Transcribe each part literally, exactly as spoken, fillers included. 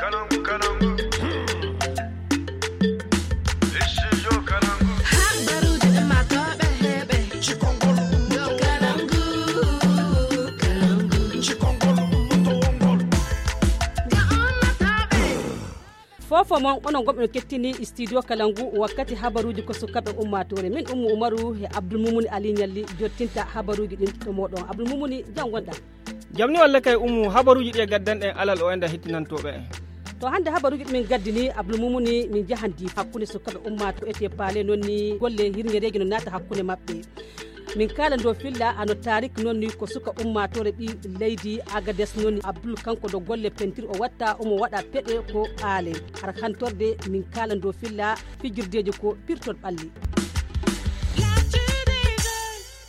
Habaruuji ɗummaatooɓe heɓe. Cikongol ɗo Kalangu, Kalangu. Cikongol ɗo wongol. Ga ummatooɓe. Fofo mon onon gomɓe no kettini studio Kalangu wakkati habaruuji ko sukaɓe ummaatoore. Min Ummu Umaru e Abdul Mumuni Ali Ñalli jottinta habaruuji ɗin to moɗon. Abdul Mumuni, jam wonɗa? Jam ni walla kay Ummu, habaruuji ɗi e gaddanɗen alal o enda hettinantooɓe en. To hannde habaruuji ɗi min gaddini, Abdul Mumuni, min jahan Diifa hakkunde sukaɓe ummaatooɓe ete paale noon ni golle hirñereeji no naata hakkunde maɓɓe. Min kaala ndo filla hano Tarik noon ni ko suka ummaatoore ɓi leydi Agades noon ni Abdul kanko do golle pentir o watta omo waɗa peɗe ko aale. Har hantorde min kaala ndo filla fijirdeeji ko pirtol ɓalli.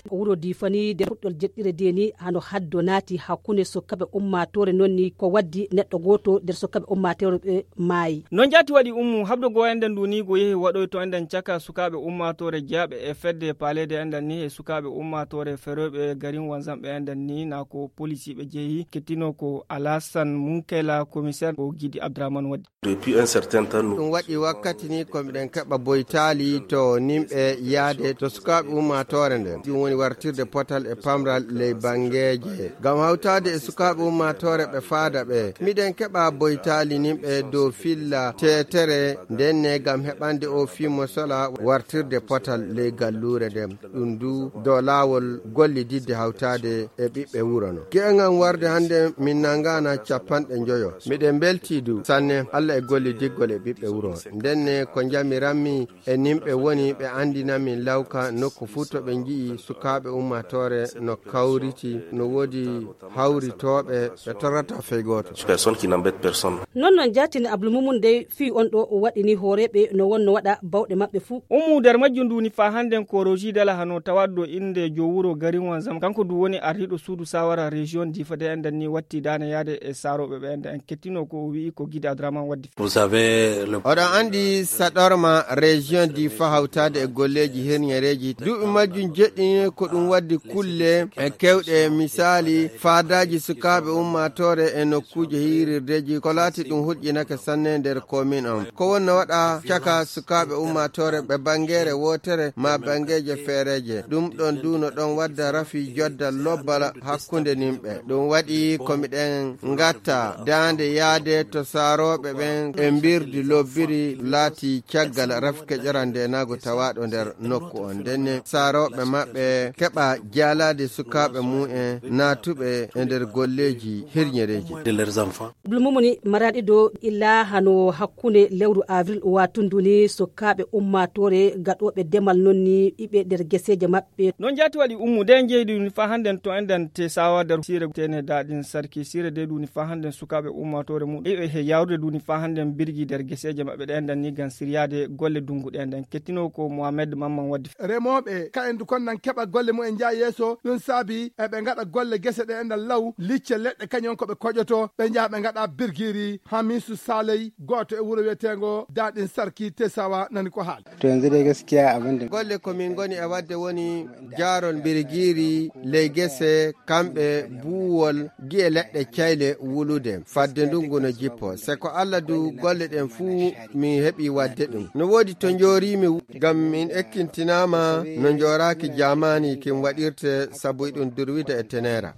Ko wuro Diifa ni nder puɗɗol jeɗɗire de ni hano haddo naati hakkunde sukaɓe ummaatoore noon ni ko waddi neɗɗo gooto nder sukaɓe ummaatoore ɓe maayi. Noon jaati waɗi Ummu, habdo goo enɗen ndu ni go yehi waɗoy to enɗen caka sukaaɓe ummaatoore jeyaaɓe e fedde paaleede enɗen ni e sukaaɓe ummaatoore ferooɓe garin Wanzamɓe enɗen ni na ko polisiiɓe jehi kettino ko Alasan Munkela, komiseer ko Gidi Abdurahman waddi. Depuis un certain temps, nous ɗum waɗi wakkati ni ko miɗen keɓa boytaali to nimɓe yaade to sukaaɓe ummaatoore nden. Ɗum woni wartirde potal e pamral ley banngeeje. Ngam hawtaade e sukaaɓe ummaatoore ɓe faada ɓe. Miɗen keɓa boytaali nimɓe dow filla teetere nden ne ngam heɓande o fii mo sola wartirde potal ley galluure nden. Ɗum du dow laawol gollididde hawtaade e ɓiɓɓe wuro no. Gi'en am warde hannde min nangaana capanɗe njoyo. Miɗen mbeltii du sanne Allah e gollidiggol e ɓiɓɓe wuro. Nden ne ko njamiranmi e nimɓe woni ɓe anndina min lawka nokku fuu to ɓe nji'i sukaaɓe ummaatoore no kawriti, no woodi hawritooɓe ɓe torrata fey gooto. Personne qui n'embête personne. Non, non, jaatini Abdul Mumun dey fii on ɗo o waɗini hooreeɓe no wonno waɗa bawɗe maɓɓe fuu. Ummu nder majjum ndu ni faa hannden ko Rosi Dala hano tawaɗo innde jo wuro garin Wanzam. Kanko du woni ardiiɗo suudu saawara région Difa de enɗen ni watti daane yaade e saarooɓe ɓe enɗen en kettino ko o wi'i ko Gide Adraman waddi. Vous avez le oɗon anndi saɗorma région Difa hawtaade e golleeji herñereeji. Duuɓi majjum jeɗɗini ko ɗum waddi kulle e kewɗe, misaali, faadaaji sukaaɓe ummaatoore e nokkuuje hiirirdeeji, ko laati ɗum hulƴinake sanne nder komin on. Ko wonno waɗa caka sukaaɓe ummaatoore ɓe banngeere wootere maa banngeeje feereeje. Ɗum ɗon du no ɗon wadda rafi jodda lobbal hakkunde nimɓe. Ɗum waɗi ko miɗen ngatta daande yaade to saarooɓe ɓen e mbirdi lobbiri laati caggal rafke ƴoral ndeenaagu tawaaɗo nder nokku on. Ndenne saarooɓe maɓɓe keɓa jaalaade sukaaɓe mum en naatuɓe e nder golleeji hirñereeji. De leurs enfants. Abdul Mumuni maraaɗi do illa hano hakkunde lewru avril watundu ni sukaaɓe ummaatoore gaɗooɓe demal non ni iɓe nder geseeje maɓɓe. Non jaati waɗi Ummu de en jeydi ni faa hannden to enɗen te sawa nder siire tene daɗin sarki siire de duni faa hannden sukaaɓe ummaatoore mum iɓe he yawrude duni faa hannden birgi nder geseeje maɓɓe ɗe enɗen ni ngam siryaade golle dungu ɗe enɗen kettino ko Mohamed Mamman waddi. Remooɓe ka en du kon nan keɓa golle mum en njaa yeeso ɗum saabi eɓe ngaɗa golle gese ɗe enɗen law licce leɗɗe kañum ko ɓe koƴoto ɓe njaha ɓe ngaɗa birgiri Hamisu Saley gooto e wuro wiyeteengo Daɗin Sarki Tesawa nani ko haali. To yanzu dai gaskiya abin da golle ko min ngoni e waɗde woni jaarol mbirgiiri ley gese kamɓe buuwol gi'e leɗɗe cayle wulude fadde ndungu no jippo se ko Allah du golle ɗen fuu min heɓi waɗde ɗum no woodi to njooriimi ngam min ekkintinaama no njooraaki jaamaani kin waɗirte sabu iɗum durwida e teneera.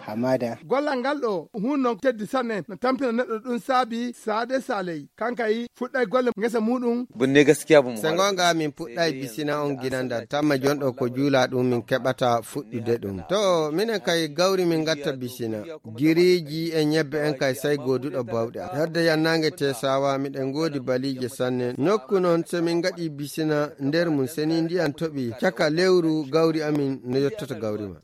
Hamada. Gollal ngal ɗo hunno teddi sanne no tampina neɗɗo ɗum saabi saade saley kankay fuɗɗay golle ngesa muɗum. Bunne gaskiya bu mu se gonga min puɗɗay bisina on ginandal tamma jonɗo ko juula ɗum min keɓata fuɗɗude ɗum to minen kay gawri min gatta bisina giriiji e ñebbe en kay sey gooduɗo bawɗe hedde yannange te sawa miɗen ngoodi baliije sanne nokku noon so min ngaɗi bisina nder mum seni ndiyan toɓi caka lewru gawri amin no yottoto gawri ma.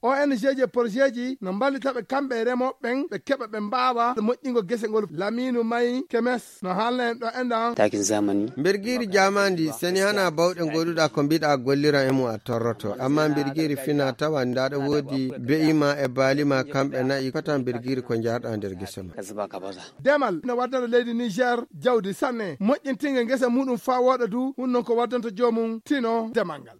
O N G ji e projet ji no mballita ɓe kamɓe e remooɓe ɓen ɓe keɓa ɓe mbaawa moƴƴingo gese ngol. Lamiinu May Kemes no haalna en ɗo enɗan. Takin zamani. Mbirgiiri jaamaandi seni hana bawɗe ngoɗuɗa ko mbiɗa gollira e mum a torroto amma mbirgiiri fina tawa ndaɗa woodi be'ima e baalima kamɓe na'i kota mbirgiiri ko njarɗa nder gese ma. Demal no waddata leydi Niger jawdi sanne moƴƴintinga ngesa muɗum faa wooɗa du ɗum non ko waddanta joomum tino demal ngal.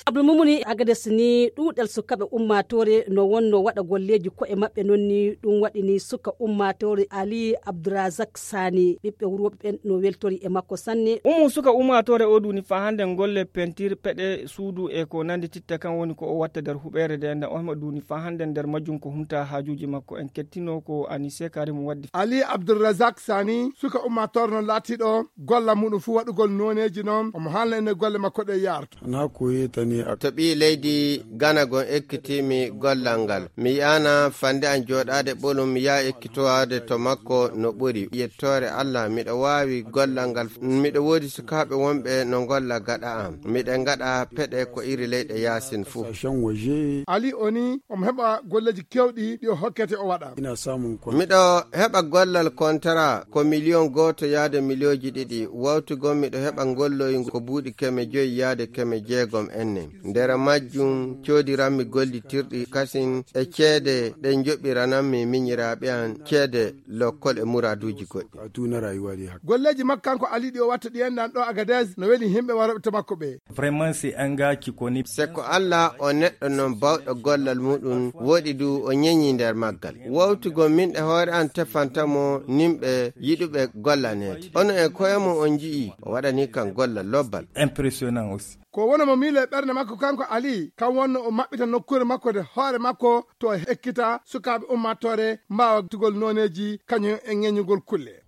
Abdul Mumuni Agades ni ɗuuɗal sukaaɓe ummaatoore no wonno waɗa golleeji ko'e maɓɓe, non ni ɗum waɗi ni suka ummaatoore Ali Abdourazak Sani, ɓiɓɓe wuro ɓen no weltori e makko sanne. Umu suka ummaatoore o duuni faa hannde golle pentir peɗe suudu e ko nanndi titta kan woni ko o watta nder huɓeere nde nden. O hema duuni faa hannde nder majjum ko humta haajuuji makko. En kettino ko Anise Karim waddi. Ali Abdourazak Sani, suka ummaatoore no laatiiɗo golla muɗum fuu waɗugol nooneeji non, omo haalna en golle makko ɗe yaarta. Na ko yetani ak- To ɓii leydi Gana gon ekkitiimi gollal ngal, mi yi'aana fannde an jooɗaade ɓolum, mi yaha ekkitowaade to makko no ɓuri. Yettoore Allah, miɗo waawi gollal ngal. Miɗo woodi sukaaɓe wonɓe no ngolla gaɗa am. Miɗen ngaɗa peɗe ko iri leyɗe yaasin fuu. Sashen waje. Ali o ni, omo heɓa golleeji keewɗi ɗi o hokkete o waɗa. Ina samun kon- Miɗo heɓa gollal kontara ko miliyon gooto yaade miliyonji ɗiɗi. Wawtu gon miɗo heɓa ngolloy ko buuɗi keme joyi yaade keme jeegom enne. Nder majjum coodiranmi gollitirɗi kasin e ceede ɗe njoɓirananmi miñiraaɓe an ceede lokkol e muraaduuji goɗɗi. A tuna rayuwa dai haka. Golleeji makko kanko Ali ɗi o watta ɗi enɗan ɗo Agadez no weli himɓe warooɓe to makko ɓe. Vraiment, c'est un gars qui connaît. Se ko Allah o neɗɗo non bawɗo gollal muɗum, woɗi du o ñeñi nder maggal. Wawtugol min e hoore an tefanta mo nimɓe yiɗuɓe gollaneede. Ono e koye mo on nji'i, o waɗani kan gollal lobbal. Impressionnant aussi. Ko wona mo miilo e ɓernde makko kanko Ali, kan wonno o maɓɓita nokkuure makko nde hoore makko to o ekkita sukaaɓe ummaatoore mbaawa tugol nooneeji kañum e ŋeñugol kulle.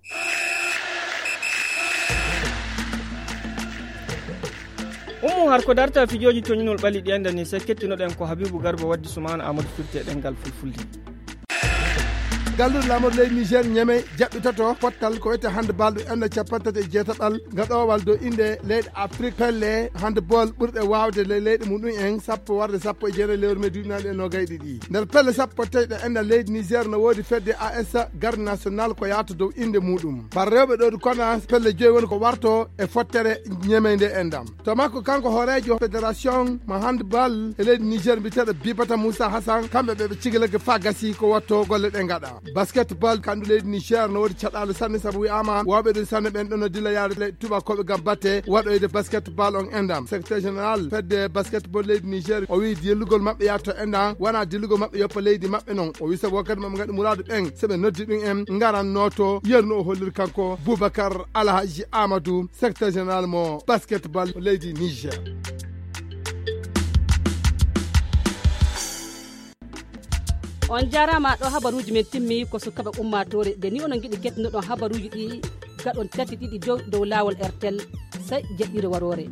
Ummu har ko darta fijooji toñinol ɓali ɗi enda ni, se kettinoɗen ko Habibu Garba waddi Sumaana Amadou firti e ɗemngal fulfulde. Galluɗo laamorɗo leydi Niger Ñamey jaɓɓitoto pottal ko wiyetee handball ɗum enda capanɗe tati e jeetaɓal nga ɗowal dow innde leyɗe Afrik. Pelle handball ɓurɗe waawde le leyɗe muɗum en sappo warde sappo e jeenayi lewru mee duuɓi naaɗi e noogay ɗiɗi. Nder pelle sappo e tati ɗe enda leydi Niger no woodi fedde A S Garde National ko yahata dow innde muɗum. Bar rewɓe ɗowdi kona pelle joyi woni ko warto e fottere Ñamey nde endam. To makko kanko hooreejo fédération mo handball e leydi Niger mbiyeteeɗo Bibata Moussa Hassan, kamɓe ɓe ɓe cigilake faa gasi ko watto golle ɗe ngaɗa. Basketball kandu leydi Niger no woodi caɗaale sanne sabu wi'aama wawɓe ɗum sanne ɓen ɗon no dilla yaade leyɗe tubakooɓe gam batte waɗoyde basketball on endam. Secrétaire général fedde basketball leydi Niger o wi'i dillugol maɓɓe yaade to endam wona dillugol maɓɓe yoppa leydi maɓɓe non. O wi'i sabu wakkati maɓɓe ngaɗi muraadu ɓen se ɓe noddi ɗum en ngaran nooto yernu o holliri kanko Boubacar Alhaji Amadou, secrétaire général mo basketball leydi Niger. On jaaraama ɗo habaruuji men timmi ko sukaɓe ummaatoore. Nde ni onon ngiɗi kettunoɗon habaruuji ɗi gaɗon tati ɗiɗi dow, dow laawol R T L, sey jaɓɓiire waroore.